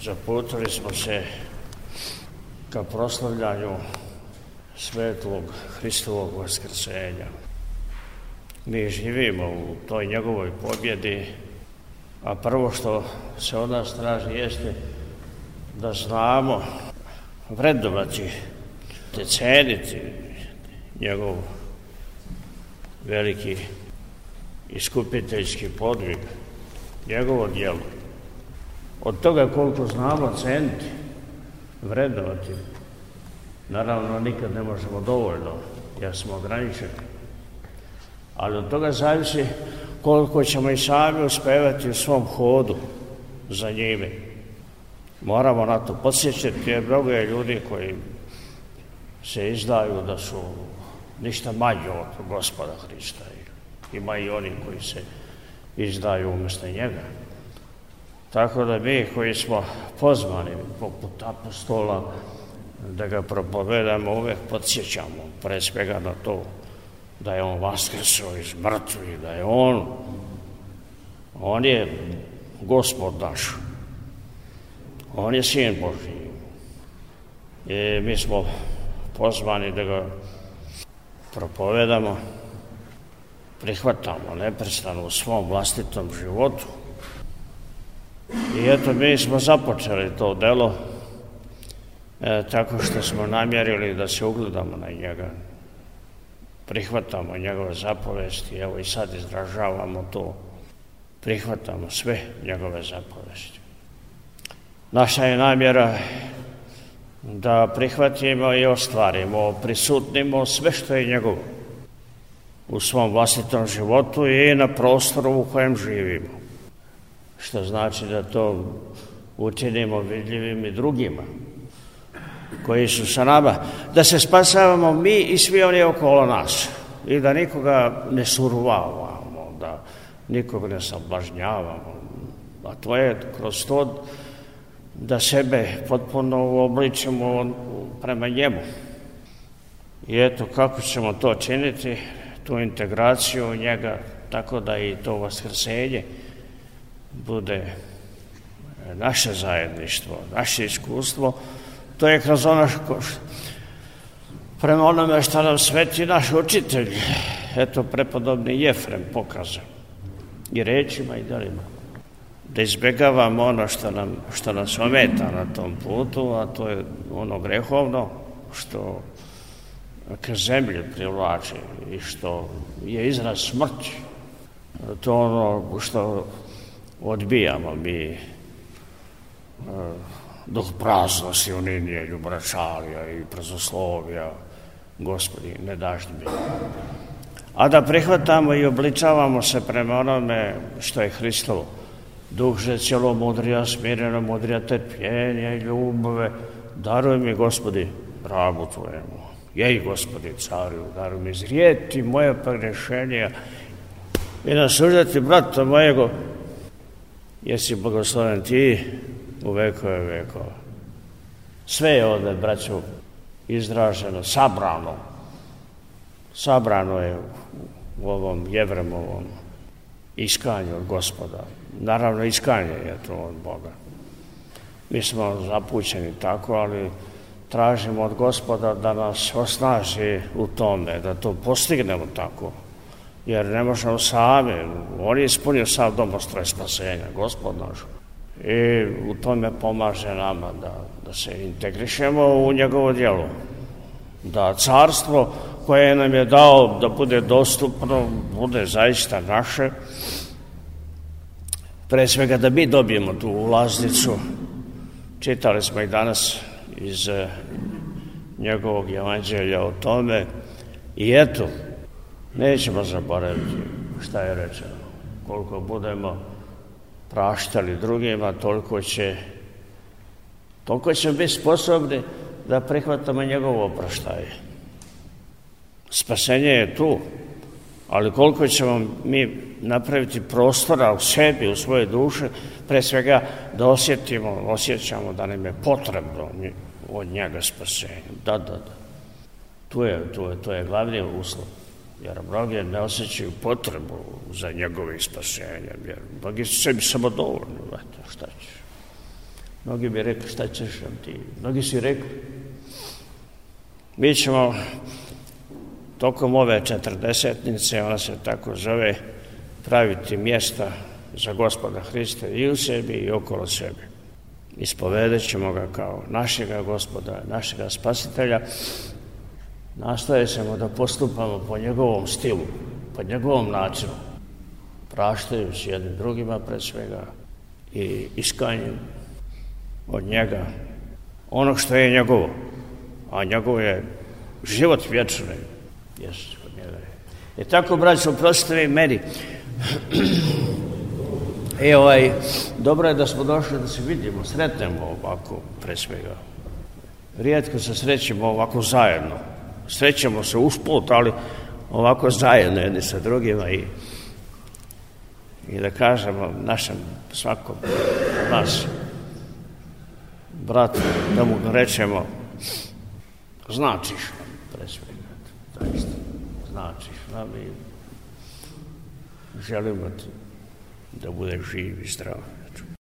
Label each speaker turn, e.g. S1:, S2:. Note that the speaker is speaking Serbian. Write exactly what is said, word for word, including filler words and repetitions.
S1: Zaputili smo se ka proslavljanju svetlog Hristovog vaskrsenja. Mi živimo u toj njegovoj pobjedi, a prvo što se od nas traži jeste da znamo vrednovati, te ceniti njegov veliki iskupiteljski podvig, njegovo djelo. Od toga koliko znamo ceniti, vrednovati, naravno nikad ne možemo dovoljno, jer smo ograničeni. Ali od toga zavisi koliko ćemo i sami uspevati u svom hodu za njime. Moramo na to podsjećati, jer mnogo je ljudi koji se izdaju da su ništa manji od Gospoda Hrista. Ima i oni koji se izdaju umjesto njega. Tako da mi koji smo pozvani poput apostola da ga propovedamo, uvijek podsjećamo pre svega na to da je on vaskrsao iz mrtvih, da je on, on je Gospod naš, on je Sin Božji. I mi smo pozvani da ga propovedamo, prihvatamo neprestano u svom vlastitom životu. I eto, mi smo započeli to delo e, tako što smo namjerili da se ugledamo na njega, prihvatamo njegove zapovesti, evo i sad izražavamo to, prihvatamo sve njegove zapovesti. Naša je namjera da prihvatimo i ostvarimo, prisutnimo sve što je njegovo u svom vlastitom životu i na prostoru u kojem živimo. Što znači da to učinimo vidljivim i drugima koji su sa nama, da se spasavamo mi i svi oni okolo nas i da nikoga ne suruvavamo, da nikoga ne sablažnjavamo, a to je kroz to da sebe potpuno uobličimo prema njemu. I eto kako ćemo to činiti, tu integraciju u njega, tako da i to vaskrsenje bude naše zajedništvo, naše iskustvo. To je kroz ono što, prema onome što nam sveti naš učitelj, eto prepodobni Jefrem pokazao i rečima i djelima, da izbjegavamo ono što nam, što nas ometa na tom putu, a to je ono grehovno što ka zemlji privlači i što je izraz smrti. To ono što odbijamo mi, duh praznosti, uninije, ljubračalija i prazoslovija, Gospodi, ne daš mi. A da prihvatamo i obličavamo se prema onome što je Hristovo. Duh že cjelomudrija, smireno mudrija, trpljenja i ljubove, daruj mi, Gospodi, rabu Tvojemu. Jej, Gospodi, cariju, daruj mi izrijeti moje pregrešenja i nasuđati brata mojego, jesi blagosloven ti u vekove vekova. Sve je ovdje, braćo, izraženo, sabrano. Sabrano je u ovom Jevremovom iskanju od Gospoda. Naravno, iskanje je to od Boga. Mi smo zapućeni tako, ali tražimo od Gospoda da nas osnaži u tome, da to postignemo tako. Jer ne možemo sami, on je ispunio sav domostroj spasenja, Gospod naš. I u tome pomaže nama da, da se integrišemo u njegovo djelo. Da carstvo koje nam je dao da bude dostupno, bude zaista naše. Pre svega da mi dobijemo tu ulaznicu. Čitali smo i danas iz njegovog evanđelja o tome. I eto, nećemo zaboraviti šta je rečeno. Koliko budemo praštali drugima, toliko će, toliko će biti sposobni da prihvatamo njegovo opraštaje. Spasenje je tu, ali koliko ćemo mi napraviti prostora u sebi, u svoje duše, pre svega da osjetimo, osjećamo da nam je potrebno od njega spasenje. Da, da, da. Tu je, tu je, to je glavni uslov. Jer mnogi ne osjećaju potrebu za njegovim spasenjem, jer mnogi su sebi samo dovoljni, šta će. Mnogi bi rekli, šta ćeš nam ti? Mnogi si rekli. Mi ćemo tokom ove četrdesetnice, ona se tako zove, praviti mjesta za Gospoda Hrista i u sebi i okolo sebe. Ispovedat ćemo ga kao našega Gospoda, našega Spasitelja. Nastoje ćemo da postupamo po njegovom stilu, po njegovom načinu, praštajući jednim drugima pred svega i iskanjem od njega ono što je njegovo, a njegovo je život vječni. Jesu, od njega je. I tako, braćo, oprostite vi meni. I ovaj, dobro je da smo došli da se vidimo, sretnemo ovako pre svega. Rijetko se srećemo ovako zajedno. Srećemo se usput, ali ovako zajedno jedni sa drugima i, i da kažemo našem svakom nas, bratu, da mu rečemo značiš nam pre svega, zaista, značiš nam i želimo ti da budeš živ i zdrav.